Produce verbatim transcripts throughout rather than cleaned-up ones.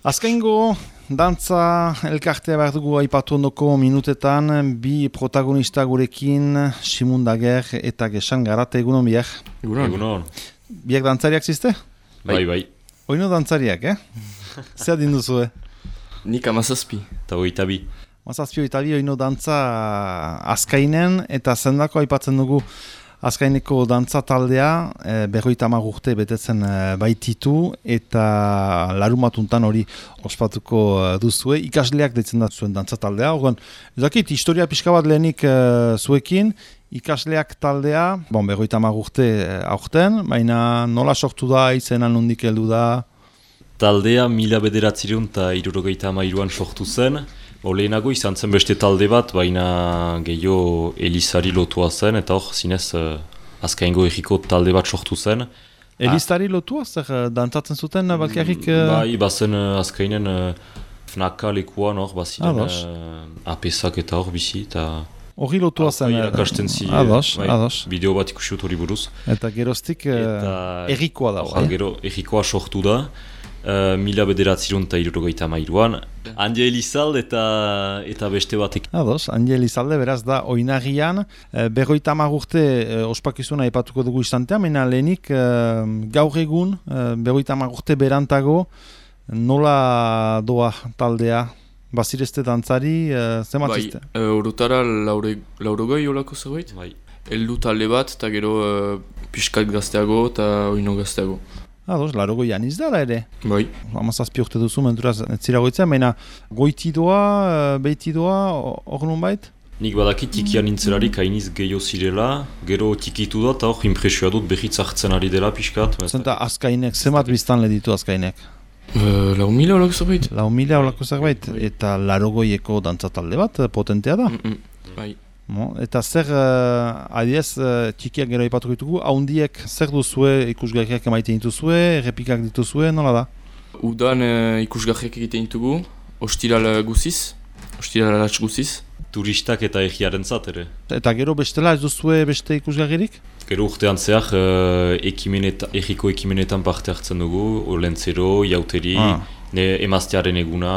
Azkaingo dantza elkartea behar dugu aipatu ondoko minutetan, bi protagonista gurekin, Simon Dager eta Gesan Garate, egunon biak. Egunon. Egunon. Biak dantzariak ziste? Bai, bai. Oino dantzariak, eh? Zer adin duzu, eh? Nik amazazpi. Eta oita bi. Amazazpi oita bi oino dantza Azkainen, eta zendako aipatzen dugu Azkaineko dantza taldea, e, berroita hamar urte betetzen e, baititu, eta larumatuntan hori ospatuko e, duzue, ikasleak deitzen da zuen dantza taldea. Horren, ez dakit, historia pixka bat lehenik e, zuekin, ikasleak taldea, bon, berroita hamar urte e, aurten, baina nola sortu da, izenan nondik heldu da? Taldea mila bederatzireun eta hirurogeita hamairuan sortu zen. Oleenago izan zen beste talde bat, baina gehiago Elizari lotua zen, eta hor, zinez, uh, Azkaingo egiko talde bat sortu zen. Elizari lotua, zer uh, dantzatzen zuten, uh, balkarrik? Uh... Bai, bazen uh, Azkainen uh, Fnaka lekuan hor, baziren uh, apesak eta hor bizi, eta... Hori lotua zen. Irakasten zi, ados, bai, ados. Bideo bat ikusut hori buruz. Eta geroztik uh, errikoa da. Eta gero errikoa sortu da. Uh, mila bederatzirun eta hirurogeita hamairuan. Andi Elizalde eta, eta beste batek. Ados, Andi Elizalde beraz da oinagian. Uh, berroita hamar urte uh, ospakizuna aipatuko dugu istantea, mena lehenik uh, gaur egun, uh, berroita hamar urte berantago, nola doa taldea? Bazirezte dantzari, uh, zematzizte? Bai, uh, urutara laurogoi olako zerbait? Bai. Eldu talde bat, eta gero uh, pixkat gazteago eta oino gazteago. Ados, laro goian izdara ere. Bai. Hamazazpi urte duzu, menturaz, etzira goitzea, baina goitidoa, beitidoa, hor nun bait? Nik badakit tikian nintzelarik hainiz gehiago zirela, gero tikitu da, eta hor impresioa dut behitz hartzen ari dela pixkat. Zenta Azkainek, zemat biztan leditu Azkainek? Uh, lau mila olako zerbait. Lau mila olako zerbait, eta laro goieko dantzatalde bat, potentea da? Mm -mm. Bai. Mo, eta zer, uh, adiez, uh, txikiak gero ipatuko ditugu, haundiek zer duzue ikusgarriak emaiten dituzue, errepikak dituzue, nola da? Udan uh, ikusgarriak egiten ditugu, ostiral guziz, ostiral alatz guziz. Turistak eta egiaren zat ere. Eta gero bestela ez duzue beste ikusgarririk? Gero urtean zehar, uh, ekimeneta, egiko ekimenetan parte hartzen dugu, Olentzero, Jauteri, ah. ne emaztearen eguna...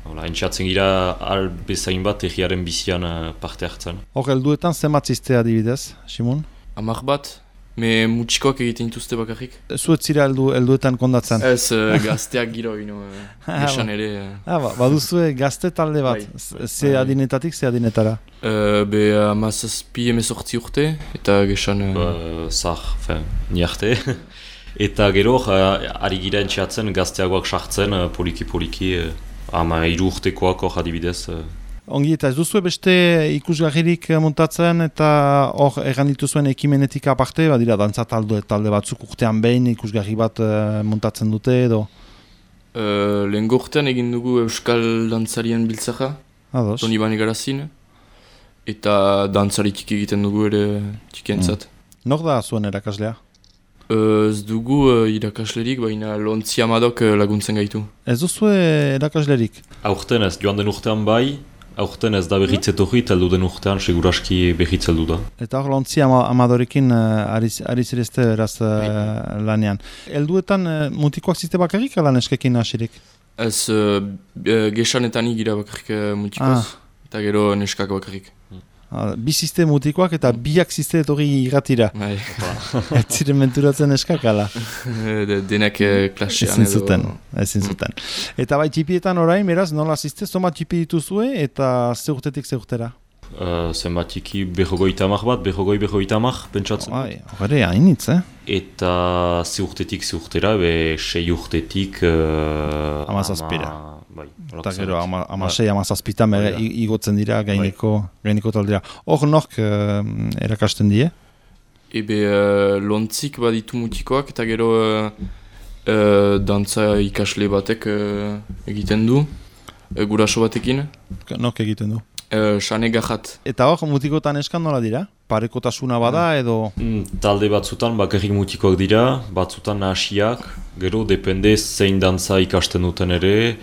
Hola, entxatzen gira albezain bat egiaren bizian uh, parte hartzen. Hor, helduetan zematzizte adibidez, Simon? Amak bat, me mutxikoak egiten dituzte bakarrik. Zuet zira heldu, helduetan kondatzen? Ez, uh, gazteak giro, ino, uh, esan ere. Uh. Ah, ba, baduzue gazte talde bat, bai, ze bai. Adinetatik, ze adinetara? Uh, be amazazpi emezortzi urte, eta gesan... Uh... Ba, zah, fen, niarte. Eta gero, uh, ari gira entxatzen gazteagoak sartzen, uh, poliki-poliki... Uh, Ama hiru urtekoak hor adibidez. Ongi eta ez duzue beste ikusgarririk montatzen eta hor erran dituzuen ekimenetik aparte, badira dantza talde, talde batzuk urtean behin ikusgarri bat uh, montatzen dute edo? Uh, Lehen gortean egin dugu Euskal Dantzarien biltzaka, Toni Bane Garazin, eta dantzaritik egiten dugu ere txikientzat. Mm. Nor da zuen erakaslea? Ez dugu uh, irakaslerik, baina Lontzi Amadok uh, laguntzen gaitu. Ez duzu erakaslerik? Aurten ez, joan den urtean bai, aurten ez da berriz etorri, teldu den urtean seguraski berriz heldu da. Eta hor Lontzi Amadorekin uh, ari zirezte eraz uh, lanean. Helduetan uh, mutikoak ziste bakarrik ala neskekin hasirik? Ez, uh, gesanetan igira bakarrik uh, mutikoz, ah. Eta gero neskak bakarrik. Bi ziste mutikoak eta biak ziste etorri irratira. Bai. Ez ziren menturatzen eskakala. Denak klasean edo... Ezin zuten, ezin zuten. Eta bai txipietan orain, beraz, nola ziste, zoma txipi dituzue eta ze urtetik ze urtera? Uh, zenbat txiki berrogoita amak bat, berrogoi berrogoita amak, pentsatzen. Bai, horre, hainitz, eh? Eta ze urtetik ze urtera, be sei urtetik... Uh, Amazazpira. Ama... Bai, eta gero, ama, ama sei, ama zazpitan bai, igotzen dira, gaineko, bai. gaineko taldera. Hor nork uh, erakasten die? Ebe uh, lontzik baditu mutikoak, eta gero uh, uh, dantza ikasle batek uh, egiten du, uh, guraso batekin. Nork egiten du? Uh, Sane Gajat. Eta hor, mutikotan eskan nola dira? Parekotasuna bada edo... Mm, talde batzutan bakarrik mutikoak dira, batzutan nahasiak, gero depende zein dantza ikasten duten ere.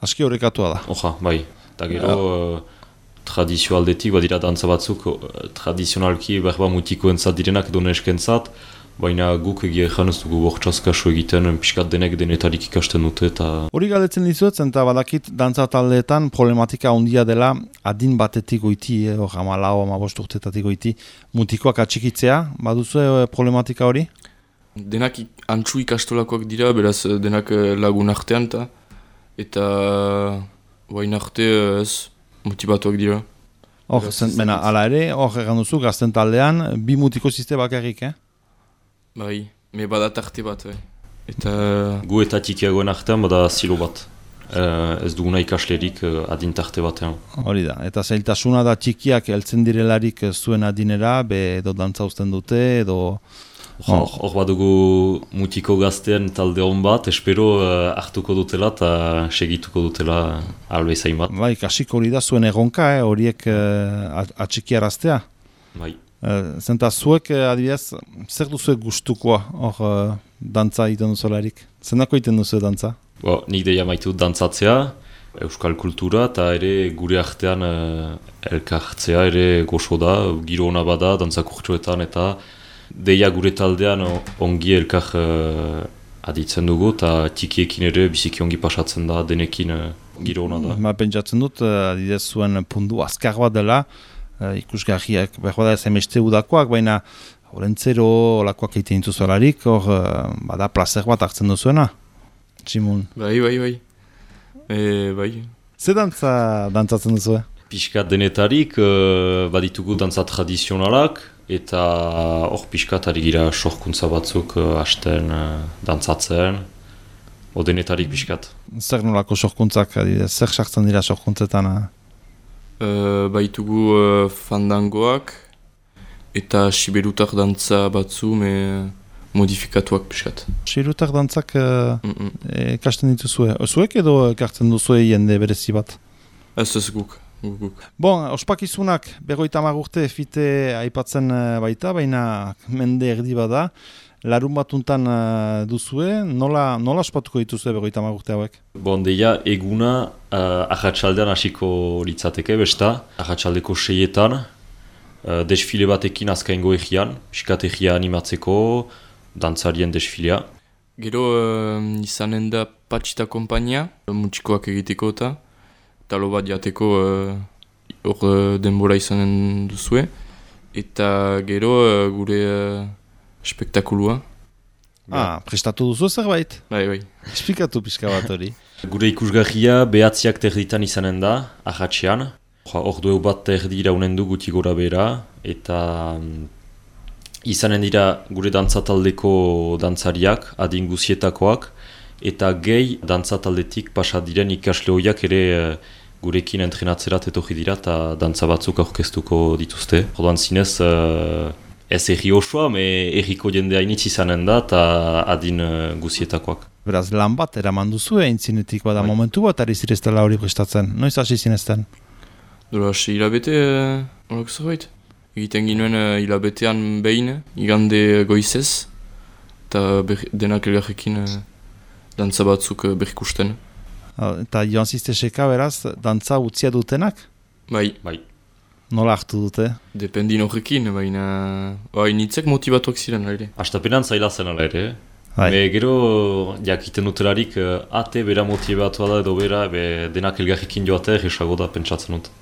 Aski horrekatua da. Oja, bai. Eta gero ja. uh, tradizio aldetik badira dantza batzuk uh, tradizionalki berba mutikoentzat direnak edo neskentzat, baina guk egia ezan ez dugu bortxaz kasu egiten, pixkat denek denetarik ikasten dute eta... Hori galdetzen dizuet, eta badakit dantza taldeetan problematika handia dela adin batetik goiti, hor eh, ama lau, ama bost urtetatik goiti, mutikoak atxikitzea, baduzu problematika hori? Denak antxu ikastolakoak dira, beraz denak lagun artean eta eta bain arte ez motibatuak dira. Hor, zentmena, ala ere, hor egan duzu, gazten taldean, bi mutiko ziste bakarrik, eh? Bai, me badat arte bat, bai. Eta... Gu eta tikiagoen artean bada zilo bat. Uh, ez duguna ikaslerik uh, adintarte batean. Hori da, eta zailtasuna da txikiak heltzen direlarik zuen adinera, be edo dantza uzten dute, edo... Hor oh. badugu mutiko gaztean talde hon bat, espero uh, hartuko dutela eta segituko dutela albezain bat. Bai, kasiko hori da zuen erronka, eh, horiek uh, atxikiaraztea. Bai. Uh, zenta zuek, uh, adibidez, zer duzuek gustukoa hor uh, dantza egiten duzularik? Zendako egiten duzu dantza? Bo, nik deia maitu dantzatzea, euskal kultura, eta ere gure artean uh, elkartzea ere goxo da, giro hona bada, dantzakurtsoetan eta deia gure taldean ongi elkar uh, aditzen dugu, eta tikiekin ere biziki ongi pasatzen da, denekin uh, giro hona da. Ma pentsatzen dut, uh, adidez zuen pundu azkar bat dela, uh, ikusgarriak, behar da ez emeste udakoak, baina orentzero olakoak egiten dituzularik, hor uh, bada placer bat hartzen duzuena, Tximun. Bai, bai, bai. E, bai. Ze dantza dantzatzen duzu? Piskat denetarik, uh, baditugu dantza tradizionalak, eta hor piskat ari gira sorkuntza batzuk uh, hasten uh, dantzatzen, o denetarik piskat. Zer nolako sorkuntzak, zer sartzen dira sorkuntzetan? Uh, baitugu uh, fandangoak, eta siberutar dantza batzu, me modifikatuak piskat. Siberutar dantzak ikasten uh, dituzue. Zuek edo ekartzen duzue jende berezi bat? Ez ez guk. Guk. Bon, ospakizunak berrogeita hamar urte fite aipatzen baita, baina mende erdi bada. Larun batuntan uh, duzue, nola, nola ospatuko dituzue berrogeita hamar urte hauek? Bon, deia eguna uh, ahatsaldean hasiko litzateke, besta, ahatsaldeko seietan, uh, desfile batekin azkaingo egian, piskat egia animatzeko, dantzarien desfilea. Gero uh, izanen da patxita kompainia, mutxikoak egiteko eta talo bat jateko hor uh, denbora izanen duzue. Eta gero uh, gure uh, spektakulua. Ah, prestatu duzu zerbait? Bai, bai. Esplikatu pixka bat hori. Gure ikusgarria behatziak terditan izanen da, ahatxean. Hor dugu bat terdi iraunen du guti gora bera, eta um, izanen dira gure dantzataldeko dantzariak, adin guzietakoak, eta gehi dantzataldetik pasa diren ikasle horiak ere uh, gurekin entrenatzerat etorri dira eta dantza batzuk aurkeztuko dituzte. Orduan zinez, uh, ez erri osoa, me erriko jende hainitz izanen da eta adin uh, guzietakoak. Beraz, lan bat eraman duzu egin zinetik bada Bai. Momentu bat ari zireztela hori prestatzen. Noiz hasi zinezten? Dora, hasi hilabete, horak uh, zerbait. Egiten ginuen uh, hilabetean behin, igande goizez, eta denak elgarrekin uh, dantza batzuk uh, berrikusten. Eta joan zizte seka beraz, dantza utzia dutenak? Bai. Bai. Nola hartu dute? Dependin horrekin, baina bai, nitzek motivatuak ziren ere. Astapenan zaila zen ala ere. Bai. Be, gero jakiten dutelarik uh, ate bera motibatua da edo bera, be, denak elgarrekin joatea egisago da pentsatzen dut.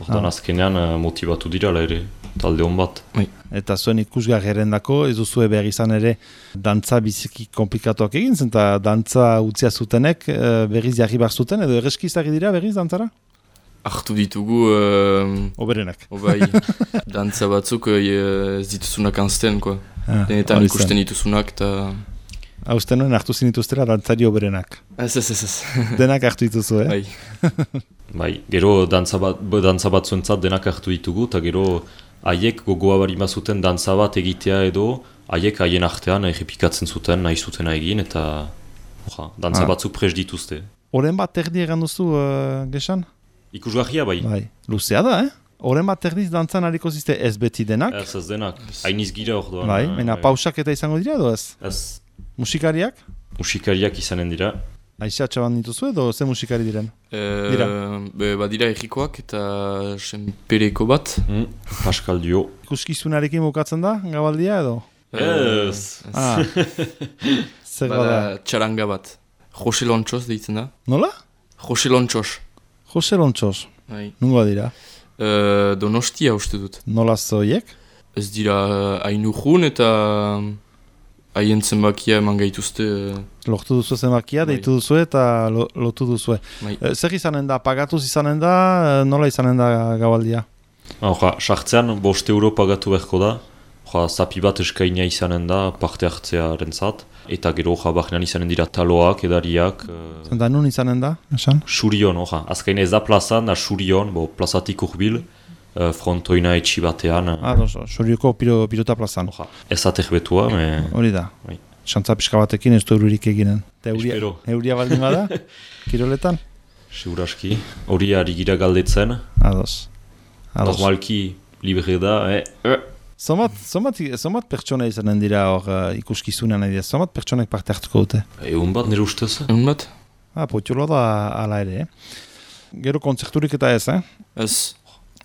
Hortan ah. azkenean uh, motibatu dira ala ere, talde hon bat. Bai. Eta zuen ikusgar erendako, ez duzue behar izan ere dantza biziki komplikatuak egin zen, eta dantza utzia zutenek uh, berriz jarri behar zuten, edo erreskizari dira berriz dantzara? Hartu ditugu... Uh, Oberenak. Obai, dantza batzuk uh, ez dituzunak anzten, koa. Ah, Denetan ikusten dituzunak, eta... Hausten nuen hartu zinituztera dantzari oberenak. Ez, ez, ez, ez. Denak hartu dituzu, eh? Bai. Bai, gero dantza bat, dantza bat zuentzat denak hartu ditugu, eta gero haiek gogoa barima zuten dantza bat egitea edo, haiek haien artean errepikatzen zuten, nahi zutena egin, eta oja, dantza ah. batzuk pres dituzte. Oren bat erdi egan duzu, uh, Gesan? Ikusgarria bai. Bai, luzea da, eh? Oren bat erdiz dantzan hariko zizte ez beti denak? Ez, ez denak. Hainiz gira hor doan. Bai, mena bai. Pausak eta izango dira edo ez? Ez. Musikariak? Musikariak izanen dira. Aixa txaban dituzu edo ze musikari diren? E, dira? Be, badira errikoak eta senpereko bat. Mm, Pascal Dio. Ikuskizunarekin bukatzen da, gabaldia edo? Ez! Ah. Zer Bada bada? txaranga bat. Jose Lontxos deitzen da. Nola? Jose Lontxos. Jose Lontxos. Bai. Nungoa dira? Uh, donostia uste dut. Nola zoiek? Ez dira hainu jun eta haien zenbakia eman gaituzte. Uh, Lortu duzu zenbakia, Bai. deitu duzu eta lo, lotu duzu. bai. E, zer izanen da? Pagatuz izanen da? E, Nola izanen da gabaldia? Hoja, sartzean bost euro pagatu beharko da. Hoja, zapi bat eskaina izanen da parte hartzearen zat. Eta gero, hoja, bahnean izanen dira taloak, edariak. Uh, Zenta nun izanen da? Esan? Surion, hoja. Azkain ez da plazan, da Surion, bo, plazatik urbil, uh, frontoina etxi batean. Ah, dozo, Surioko piro, pilota plazan. Hoja, ez atek betua, me... Hori da. Bai. Xantza pixka batekin ez du euririk eginen. Eta euria, Espero. euria baldin bada? Kiroletan? Seguraski. Hori ari gira galdetzen. Ados. Ados. Normalki libre da, eh? eh. Zomat, zomat, zomat pertsona izanen dira hor uh, ikuskizunean nahi dira. Zomat pertsonek parte hartuko dute. Egun bat nire ustez? Egun bat? Ah, potxolo da ala ere, eh? Gero kontzerturik eta ez, eh? Ez.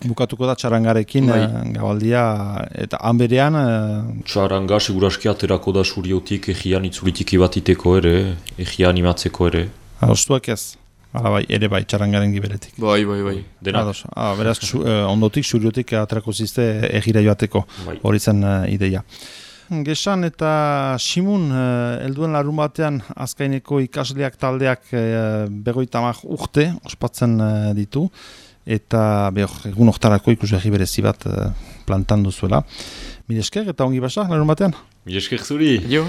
Bukatuko da txarangarekin Bai. eh, gabaldia eta hanberean eh, Txaranga seguraski aterako da Suriotik egian itzulitiki bat iteko ere, egia animatzeko ere. adostuak ez. Hala bai, ere bai, txarangaren giberetik. Bai, bai, bai. Denak. Ados. Ah, beraz, su, eh, ondotik, suriotik aterako zizte egira joateko. Bai. Hori zen uh, ideia. Gesan eta Simun, uh, elduen larun batean azkaineko ikasleak taldeak uh, berrogeita hamar urte ospatzen uh, ditu, eta behor, egun oktarako ikusgarri berezi bat uh, plantan duzuela. Mil esker eta ongi basa larun batean? Mil esker zuri! Jo?